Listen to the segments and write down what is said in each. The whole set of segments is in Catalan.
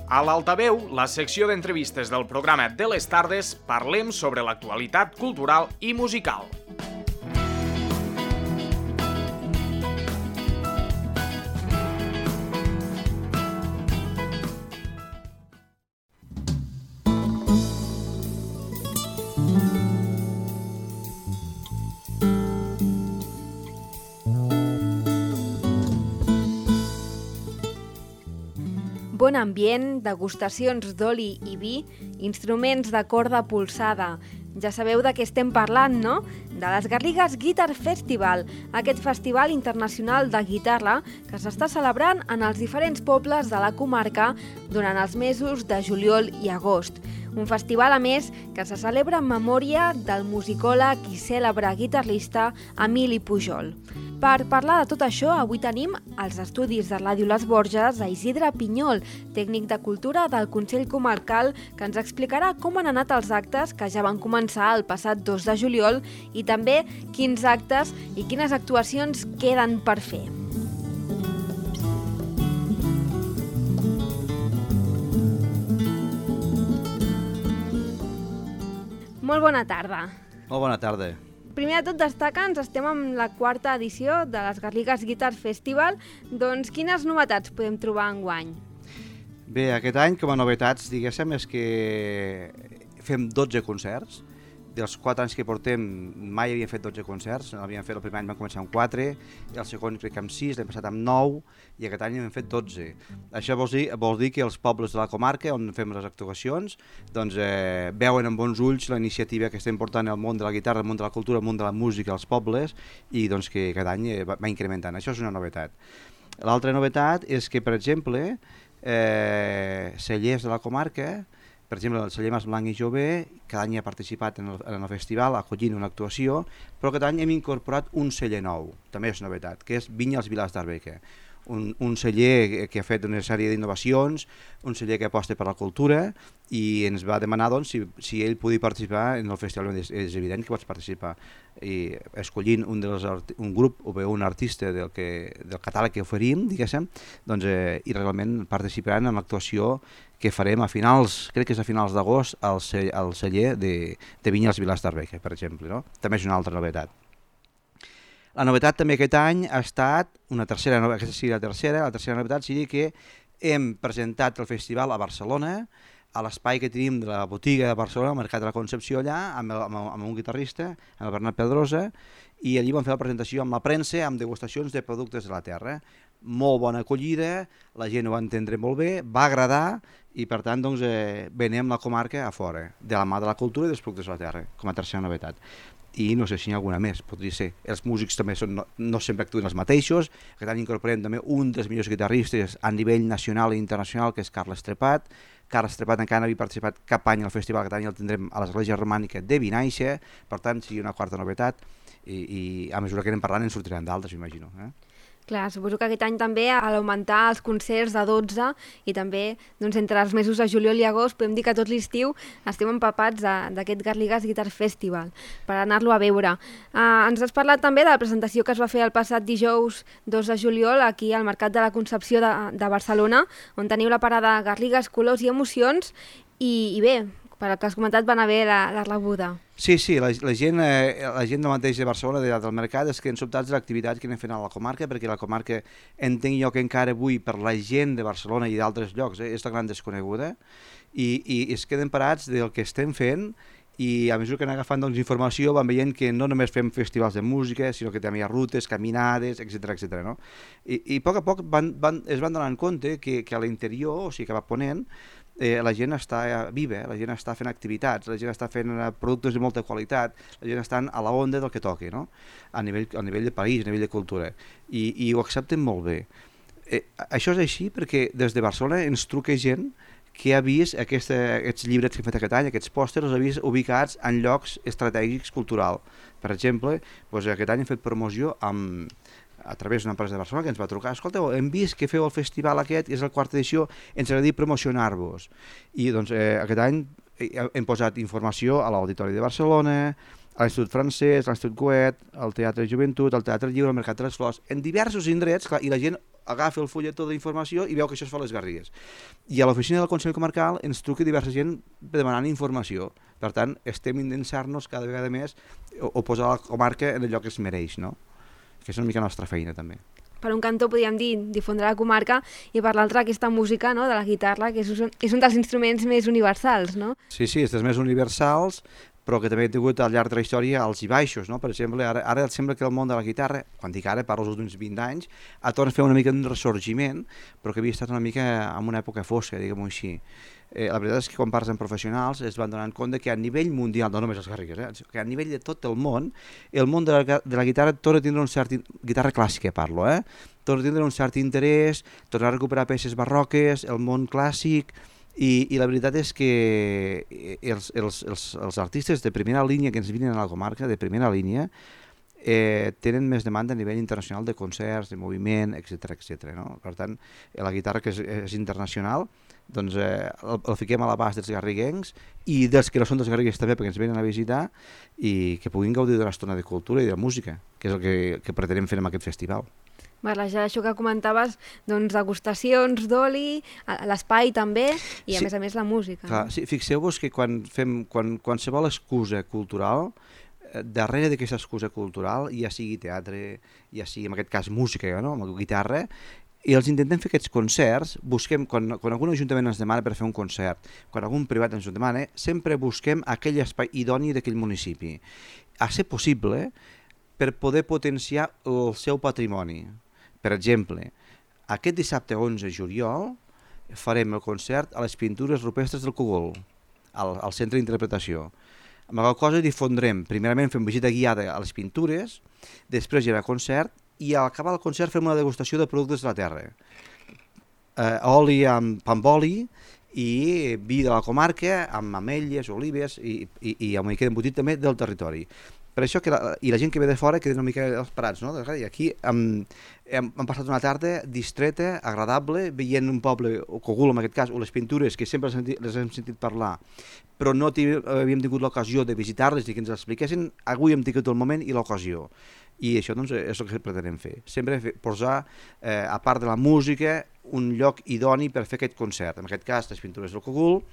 A l'Altaveu, la secció d'entrevistes del programa de les tardes, parlem sobre l'actualitat cultural i musical. Bon ambient, degustacions d'oli i vi, instruments de corda polsada. Ja sabeu de què estem parlant, no? De les Garrigues Guitar Festival, aquest festival internacional de guitarra que s'està celebrant en els diferents pobles de la comarca durant els mesos de juliol i agost. Un festival, a més, que se celebra en memòria del musicòleg i cèlebre guitarrista Emili Pujol. Per parlar de tot això, avui tenim als estudis de Ràdio Les Borges a Isidre Pinyol, tècnic de cultura del Consell Comarcal, que ens explicarà com han anat els actes que ja van començar el passat 2 de juliol i també quins actes i quines actuacions queden per fer. Molt bona tarda. Molt bona tarda. Primer de tot, destaca'ns, estem en la 4ª edició de les Garrigues Guitar Festival. Doncs quines novetats podem trobar enguany? Bé, aquest any, com a novetats, diguéssim, és que fem 12 concerts. Dels 4 anys que portem mai havíem fet 12 concerts. El primer any vam començar amb 4, el segon crec que amb 6, l'hem passat amb 9 i aquest any hem fet 12. Això vol dir que els pobles de la comarca on fem les actuacions doncs, veuen amb bons ulls la iniciativa que estem portant al món de la guitarra, al món de la cultura, al món de la música als pobles i doncs, que cada any va incrementant. Això és una novetat. L'altra novetat és que, per exemple, cellers de la comarca, per exemple, el celler Mas Blanc i Jové, cada any ha participat en el festival acollint una actuació, però aquest any hem incorporat un celler nou, també és novetat, que és Vinyes Vilars d'Arbeca. Un celler que ha fet una sèrie d'innovacions, un celler que aposta per la cultura i ens va demanar doncs, si ell podia participar en el festival. És evident que pots participar. I escollint un grup o bé un artista del catàleg que oferim, diguéssim, doncs, i realment participaran en l'actuació que farem a finals, crec que és a finals d'agost, al celler de Vinyes Vilars d'Arbeca, per exemple. No? També és una altra novetat. La novetat també aquest any ha estat la tercera novetat seria que hem presentat el festival a Barcelona, a l'espai que tenim de la botiga de Barcelona, al Mercat de la Concepció allà, amb un guitarrista, amb el Bernat Pedrosa, i allí vam fer la presentació amb la premsa, amb degustacions de productes de la terra. Molt bona acollida, la gent ho va entendre molt bé, va agradar i per tant doncs, venem la comarca a fora, de la mà de la cultura i dels productes de la terra, com a tercera novetat. I no sé si hi ha alguna més, podria ser. Els músics també no sempre actuen els mateixos. Aquest any incorporem també un dels millors guitarristes a nivell nacional i internacional, que és Carles Trepat. Carles Trepat encara no havia participat cap any al festival, aquest any el tindrem a l'Església Romànica de Vinaixa, per tant sigui una quarta novetat i a mesura que anem parlant en sortiran d'altres, m'imagino. Clar, suposo que aquest any també a l'augmentar els concerts de 12 i també doncs, entre els mesos de juliol i agost podem dir que tot l'estiu estem empapats d'aquest Garrigues Guitar Festival per anar-lo a veure. Ens has parlat també de la presentació que es va fer el passat dijous 2 de juliol aquí al Mercat de la Concepció de Barcelona, on teniu la parada Garrigues, Colors i Emocions i bé, per el que has comentat van haver la rebuda. Sí, la gent del mateix de Barcelona, del mercat, és que han sobtat de l'activitat que anem fent a la comarca, perquè la comarca entenc jo que encara avui per la gent de Barcelona i d'altres llocs és la gran desconeguda i es queden parats del que estem fent i a mesura que anem agafant informació van veient que no només fem festivals de música, sinó que també hi ha rutes, caminades, etc. No? I a poc es van donar compte que a l'interior, o sigui que va ponent, la gent està viva, la gent està fent activitats, la gent està fent productes de molta qualitat, la gent està a la onda del que toqui, no? a nivell de país, a nivell de cultura, i ho accepten molt bé. Això és així perquè des de Barcelona ens truca gent que ha vist aquests llibres que hem fet aquest any, aquests pòsters, els ha vist ubicats en llocs estratègics culturals. Per exemple, doncs aquest any hem fet promoció a través d'una empresa de Barcelona que ens va trucar, escolteu, hem vist que feu el festival aquest, és la 4ª edició, ens agradaria promocionar-vos. I doncs aquest any hem posat informació a l'Auditori de Barcelona, a l'Institut Francès, a l'Institut Goethe, al Teatre de Joventut, al Teatre Lliure, al Mercat de les Flors, en diversos indrets, clar, i la gent agafa el fulletó d'informació i veu que això es fa a les Garrigues. I a l'oficina del Consell Comarcal ens truca diversa gent demanant informació. Per tant, estem intentant-nos cada vegada més o posar la comarca en el lloc que es mereix, no? Que és una mica la nostra feina, també. Per un cantó podríem dir difondre la comarca i per l'altre aquesta música, no?, de la guitarra, que és un dels instruments més universals, no? Sí, és dels més universals, però que també he tingut al llarg de la història alts i baixos, no? Per exemple, ara sembla que el món de la guitarra, quan dic ara, parlo dels últims 20 anys, ha tornat a fer una mica un ressorgiment, però que havia estat una mica en una època fosca, diguem-ho així. La veritat és que quan parles amb professionals es van donar compte que a nivell mundial, no només els Garrigues, que a nivell de tot el món de la guitarra torna a tindre un cert... guitarra clàssica parlo, torna a tindre un cert interès, tornar a recuperar peces barroques, el món clàssic, i la veritat és que els artistes de primera línia que ens vinen a la comarca, de primera línia, tenen més demanda a nivell internacional de concerts, de moviment, etc. No? Per tant, la guitarra que és internacional, doncs el fiquem a l'abast dels garriguencs i dels que no són dels garrigues també perquè ens venen a visitar i que puguin gaudir d'una estona de cultura i de música, que és el que pretenem fer amb aquest festival. Barrejar això que comentaves, doncs degustacions d'oli, l'espai també i a més la música. Clar, no? Sí, fixeu-vos que quan qualsevol excusa cultural, darrere d'aquesta excusa cultural, ja sigui teatre, ja sigui en aquest cas música, no? Amb la guitarra, i els intentem fer aquests concerts, busquem, quan algun ajuntament ens demana per fer un concert, quan algun privat ens ho demana, sempre busquem aquell espai idoni d'aquell municipi, a ser possible per poder potenciar el seu patrimoni. Per exemple, aquest dissabte 11 de juliol farem el concert a les pintures rupestres del Cogul, al centre d'interpretació. Amb la cosa difondrem, primerament fem visita guiada a les pintures, després hi haurà concert, i al acabar el concert fem una degustació de productes de la terra. Oli amb pa amb oli i vi de la comarca amb ametlles, olives i una mica d'embotit també del territori. Per això que la gent que ve de fora queda una mica esperats, no? I aquí hem passat una tarda distreta, agradable, veient un poble, o Cogul en aquest cas, o les pintures que sempre les hem sentit parlar, però no havíem tingut l'ocasió de visitar-les i que ens expliquessin. Avui hem tingut el moment i l'ocasió. I això doncs, és el que pretenem fer. Sempre posar, a part de la música, un lloc idoni per fer aquest concert. En aquest cas, les pintures del Cogul.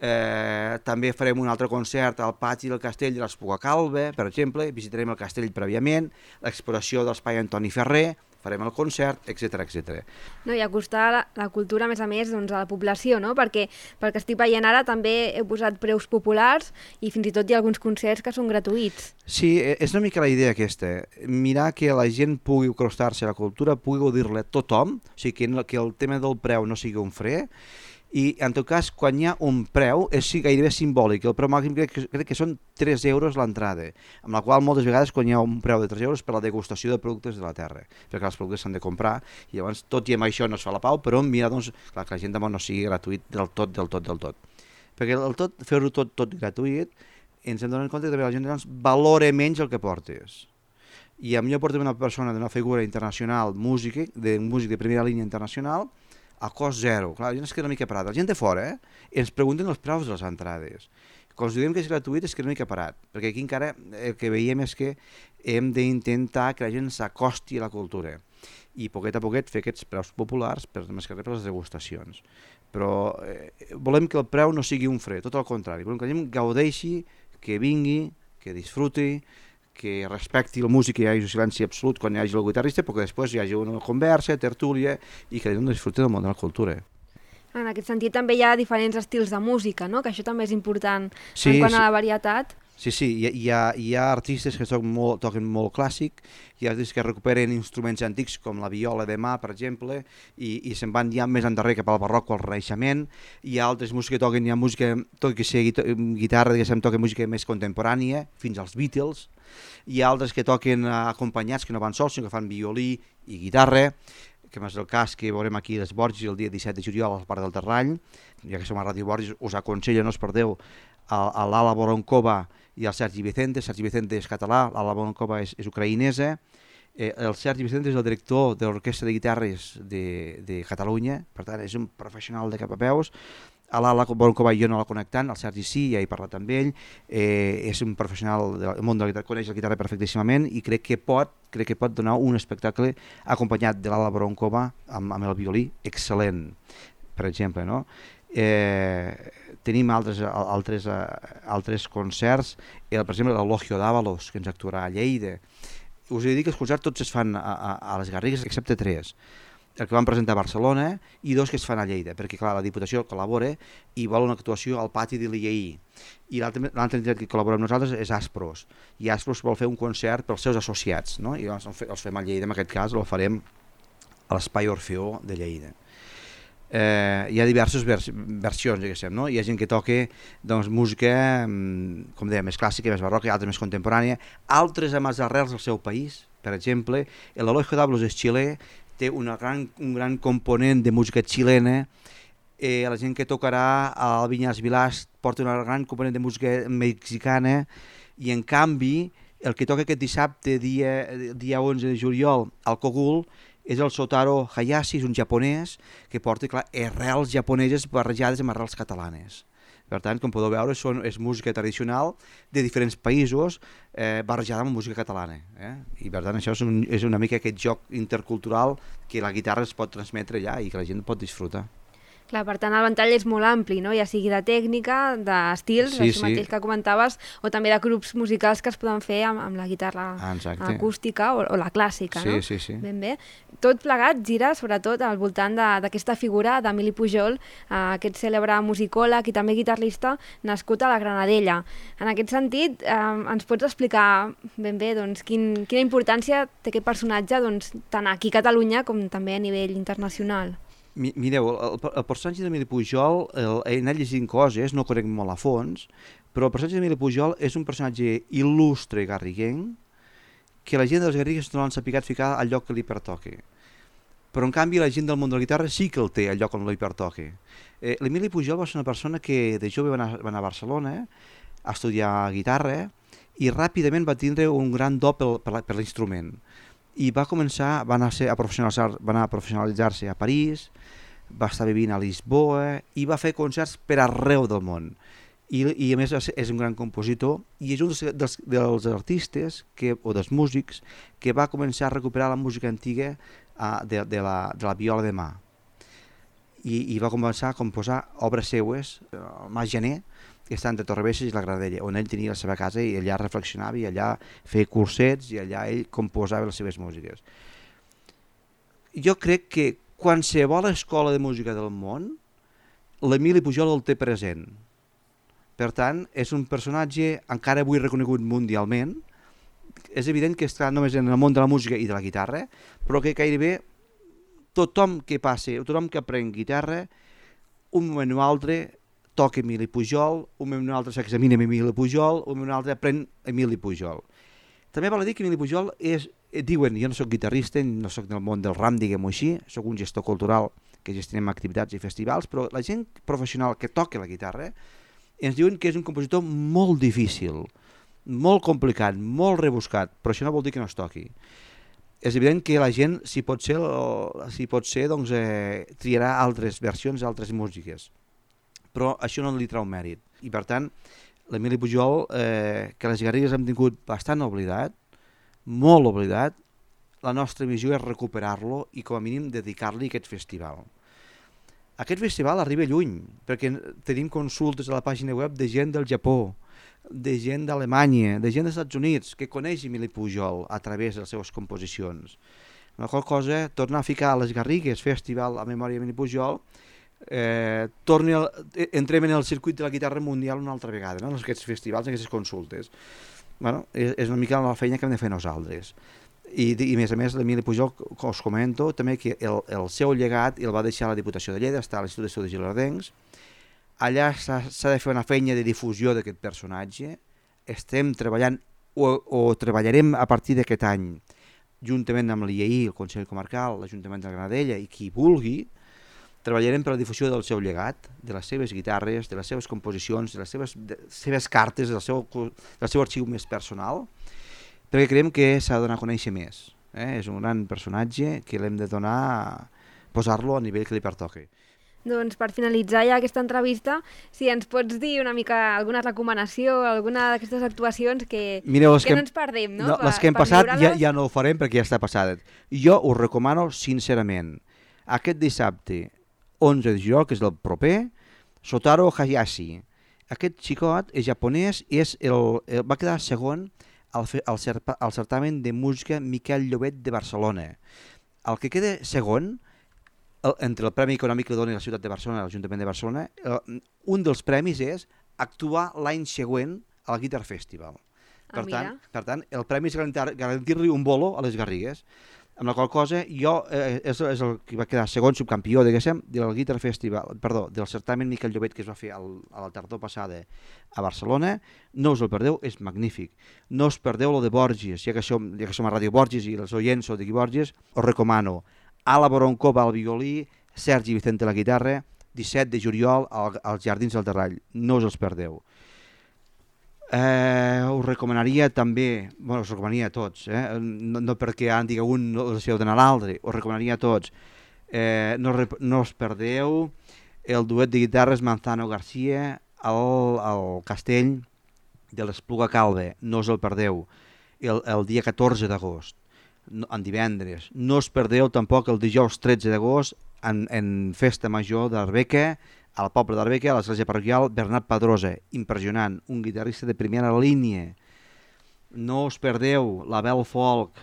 També farem un altre concert al pati del castell de l'Espugacalba, per exemple. Visitarem el castell prèviament, l'exploració de l'espai Antoni Ferrer, farem el concert, etc. No, i acostar la cultura, a més, doncs, a la població, no? Perquè pel que estic veient ara també he posat preus populars i fins i tot hi ha alguns concerts que són gratuïts. Sí, és una mica la idea aquesta, mirar que la gent pugui acostar-se a la cultura, pugui gaudir-la tothom, o sigui que el tema del preu no sigui un fre, i en tot cas quan hi ha un preu és gairebé simbòlic, el preu màxim crec que són 3 euros l'entrada, amb la qual moltes vegades quan hi ha un preu de 3 euros per la degustació de productes de la terra, perquè els productes s'han de comprar i llavors tot i amb això no es fa la pau, però mira doncs, clar, que la gent no sigui gratuït del tot, perquè fer-ho tot gratuït ens hem donat compte que també la gent doncs, valora menys el que portes. I a millor portem una persona d'una figura internacional, músic de primera línia internacional, a cost zero. Clar, la gent es queda una mica parat. La gent de fora ens pregunten els preus de les entrades. Quan ens diem que és gratuït es queda una mica parat, perquè aquí encara el que veiem és que hem d'intentar que la gent s'acosti a la cultura i poquet a poquet fer aquests preus populars per més que res per les degustacions. Però volem que el preu no sigui un fre, tot el contrari. Volem que la gent gaudeixi, que vingui, que disfruti, que respecti la música i hi hagi un silenci absolut quan hi hagi el guitarrista, però que després hi hagi una conversa, tertúlia i que no disfruti del món de la cultura. En aquest sentit també hi ha diferents estils de música, no? Que això també és important en quant a la varietat. Sí, hi ha artistes que toquen molt clàssic, hi ha artistes que recuperen instruments antics com la viola de mà, per exemple, i se'n van ja més endarrere cap al barroc o al renaixement. Hi ha altres músics que toquen música, tot que sigui guitarra, toquen música més contemporània, fins als Beatles. Hi ha altres que toquen acompanyats, que no van sols, sinó que fan violí i guitarra, que és el cas que veurem aquí a les Borges el dia 17 de juliol al Parc del Terrany. Ja que som a Ràdio Borges, us aconsello, no us perdeu, a l'Ala Voronkova i el Sergi Vicente. Sergi Vicente és català, l'Ala Voronkova és ucraïnesa. El Sergi Vicente és el director de l'Orquestra de Guitarres de Catalunya, per tant és un professional de cap a peus. A l'Ala Broncova jo no la connectant, el Sergi sí, ja he parlat amb ell, és un professional del món de la guitarra, coneix la guitarra perfectíssimament i crec que pot donar un espectacle acompanyat de l'Ala Broncova amb el violí excel·lent, per exemple, no? Tenim altres concerts, per exemple l'Elogio d'Àvalos, que ens actuarà a Lleida. Us he dit que els concerts tots es fan a les Garrigues, excepte 3. El que vam presentar a Barcelona i 2 que es fan a Lleida, perquè clar, la Diputació col·labora i vol una actuació al pati de l'IEI. I l'altra entitat que col·labora amb nosaltres és Aspros, i Aspros vol fer un concert pels seus associats, no? I els fem a Lleida, en aquest cas el farem a l'Espai Orfeó de Lleida. Hi ha diverses versions, diguéssim, no? Hi ha gent que toca doncs, música, com deia, més clàssica, més barroca, altres més contemporània, altres amb les arrels del seu país. Per exemple, l'Elogio d'Àvalos és xilè, té un gran component de música xilena, la gent que tocarà al Vinyas Vilàs porta un gran component de música mexicana, i en canvi el que toca aquest dissabte, dia 11 de juliol, al Cogul, és el Shotaro Hayashi, és un japonès que porta arrels japoneses barrejades amb arrels catalanes. Per tant, com podeu veure, és música tradicional de diferents països barrejada amb música catalana. I per tant, això és una mica aquest joc intercultural que la guitarra es pot transmetre allà i que la gent pot disfrutar. Clar, per tant, el ventall és molt ampli, no? Ja sigui de tècnica, d'estils, això mateix que comentaves, o també de grups musicals que es poden fer amb la guitarra acústica o la clàssica, no? Sí. Ben bé. Tot plegat gira, sobretot, al voltant d'aquesta figura d'Emili Pujol, aquest cèlebre musicòleg i també guitarrista nascut a la Granadella. En aquest sentit, ens pots explicar ben bé doncs, quina importància té aquest personatge tant aquí a Catalunya com també a nivell internacional? Mireu, el personatge d'Emili Pujol, he anat llegint coses, no conec molt a fons, però el personatge d'Emili Pujol és un personatge il·lustre garriguenc que la gent de les Garrigues no l'han sapigat ficar al lloc que li pertoca. Però en canvi la gent del món de la guitarra sí que el té al lloc on li pertoca. L'Emili Pujol va ser una persona que de jove va anar a Barcelona a estudiar guitarra i ràpidament va tindre un gran do per l'instrument. I va anar a professionalitzar-se a París, va estar vivint a Lisboa i va fer concerts per arreu del món. I a més és un gran compositor i és un dels artistes o dels músics que va començar a recuperar la música antiga de la viola de mà. I va començar a composar obres seues, el Mas Gener, que està entre Torrebesses i la Granadella, on ell tenia la seva casa i allà reflexionava i allà feia cursets i allà ell composava les seves músiques. Jo crec que qualsevol escola de música del món, l'Emili Pujol el té present. Per tant, és un personatge encara avui reconegut mundialment. És evident que està només en el món de la música i de la guitarra, però que gairebé tothom que passi, tothom que aprèn guitarra, un moment o altre toca Emili Pujol, un moment o altre s'examina amb Emili Pujol, un moment o altre aprèn Emili Pujol. També val a dir que Emili Pujol diuen, jo no soc guitarrista, no soc del món del RAM, diguem-ho així, soc un gestor cultural que gestionem activitats i festivals, però la gent professional que toca la guitarra ens diuen que és un compositor molt difícil, molt complicat, molt rebuscat, però això no vol dir que no es toqui. És evident que la gent, si pot ser doncs, triarà altres versions, altres músiques, però això no li trau mèrit. I per tant, l'Emili Pujol, que les Garrigues hem tingut bastant oblidat, molt oblidat, la nostra missió és recuperar-lo i com a mínim dedicar-li aquest festival. Aquest festival arriba lluny, perquè tenim consultes a la pàgina web de gent del Japó, de gent d'Alemanya, de gent dels Estats Units, que coneix Emili Pujol a través de les seves composicions. La qual cosa, tornar a ficar a les Garrigues Festival a memòria d'Emili Pujol, entrem en el circuit de la guitarra mundial una altra vegada, no? En aquests festivals, en aquestes consultes. Bueno, és una mica la feina que hem de fer nosaltres. I a més, l'Emili Pujol, us comento també que el seu llegat el va deixar a la Diputació de Lleida, està a l'Institut d'Estudis Gilardencs. Allà s'ha de fer una feina de difusió d'aquest personatge. Estem treballant o treballarem a partir d'aquest any juntament amb l'IEI, el Consell Comarcal, l'Ajuntament de la Granadella i qui vulgui, treballarem per la difusió del seu llegat, de les seves guitarres, de les seves composicions, de les seves cartes, del seu arxiu més personal, perquè creiem que s'ha de donar a conèixer més. És un gran personatge que l'hem de posar-lo a nivell que li pertoqui. Doncs per finalitzar ja aquesta entrevista, si ens pots dir una mica alguna recomanació, alguna d'aquestes actuacions que no ens perdem, no? Les que hem passat ja no ho farem perquè ja està passat. Jo us recomano sincerament aquest dissabte 11 de juliol, que és el proper, Shotaro Hayashi. Aquest xicot és japonès i va quedar segon al certamen de música Miquel Llobet de Barcelona. El que queda segon, entre el Premi Econòmic que dona la ciutat de Barcelona, l'Ajuntament de Barcelona, un dels premis és actuar l'any següent al Guitar Festival. Per tant, el premi és garantir-li un bolo a les Garrigues, amb la qual cosa jo és el que va quedar segon subcampió, diguéssim, del Guitar Festival, del certamen Miquel Llobet que es va fer a la tardor passada a Barcelona. No us el perdeu, és magnífic. No us perdeu lo de Borges, ja que som a Ràdio Borges i els oients sou d'aquí Borges, us recomano Ala Boroncova al violí, Sergi Vicente a la guitarra, 17 de juliol als Jardins del Terrall. No us els perdeu. Us recomanaria també, us recomanaria a tots, no perquè ara digui un no els heu d'anar a l'altre, us recomanaria a tots. No us perdeu el duet de guitarres Manzano García al Castell de l'Espluga Calva. No us el perdeu. El dia 14 d'agost. En divendres. No us perdeu tampoc el dijous 13 d'agost en festa major d'Arbeca, al poble d'Arbeca, a l'església parroquial Bernat Pedrosa. Impressionant, un guitarrista de primera línia. No us perdeu la Bel Folk,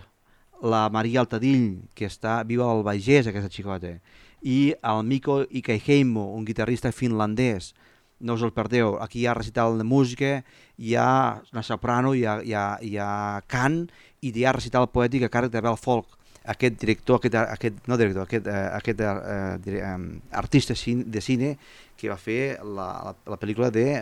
la Maria Altadill, que està viva al Bages, aquesta xicota, i el Mikko Ikeheimo, un guitarrista finlandès. No us el perdeu, aquí hi ha recital de música, hi ha una soprano, hi ha cant i hi ha recital poètic a càrrec de Bel Folk. Aquest artista de cine que va fer la pel·lícula de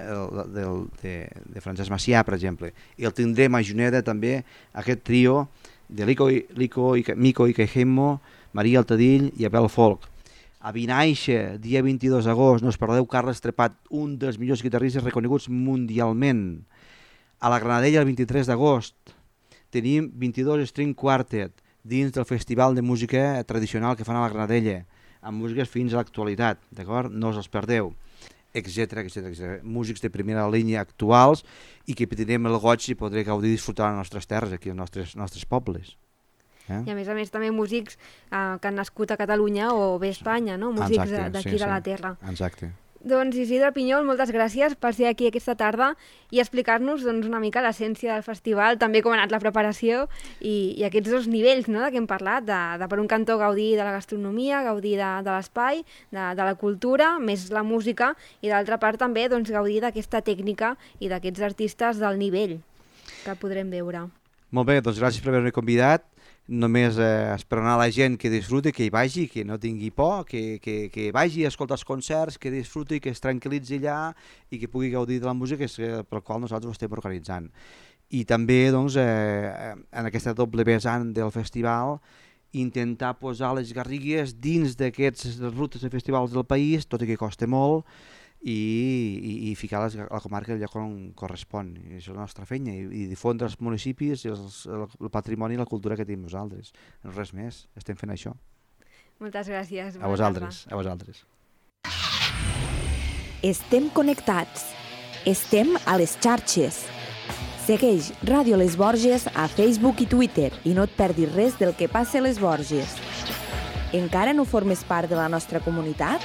Francesc Macià, per exemple. I el tindrem a Juneda també, aquest trio de Mikko Ikeheimo, Maria Altadill i Bel Folk. A Vinaixa, dia 22 d'agost, no us perdeu, Carles Trepat, un dels millors guitarristes reconeguts mundialment. A la Granadella, el 23 d'agost, tenim 22 String Quartet dins del Festival de Música Tradicional que fan a la Granadella, amb músiques fins a l'actualitat, d'acord? No us els perdeu, etc. Músics de primera línia actuals i que tindrem el goig i podré gaudir i disfrutar les nostres terres, aquí als nostres pobles. I a més també músics que han nascut a Catalunya o bé a Espanya, no? Músics d'aquí de la terra. Exacte. Doncs Isidre Pinyol, moltes gràcies per ser aquí aquesta tarda i explicar-nos una mica l'essència del festival, també com ha anat la preparació i aquests dos nivells de què hem parlat, de per un cantó gaudir de la gastronomia, gaudir de l'espai, de la cultura, més la música, i d'altra part també gaudir d'aquesta tècnica i d'aquests artistes del nivell que podrem veure. Molt bé, doncs gràcies per haver-me convidat. Només esperar a la gent que disfruti, que hi vagi, que no tingui por, que vagi a escoltar els concerts, que disfruti, que es tranquil·litzi allà i que pugui gaudir de la música per la qual nosaltres ho estem organitzant. I també en aquesta doble vessant del festival intentar posar les Garrigues dins d'aquestes rutes de festivals del país, tot i que costa molt, i ficar la comarca al lloc on correspon. I això és la nostra feina, i difondre els municipis, el patrimoni i la cultura que tenim nosaltres. Res més, estem fent això. Moltes gràcies. A vosaltres. Estem connectats. Estem a les xarxes. Segueix Ràdio Les Borges a Facebook i Twitter i no et perdis res del que passa a Les Borges. Encara no formes part de la nostra comunitat?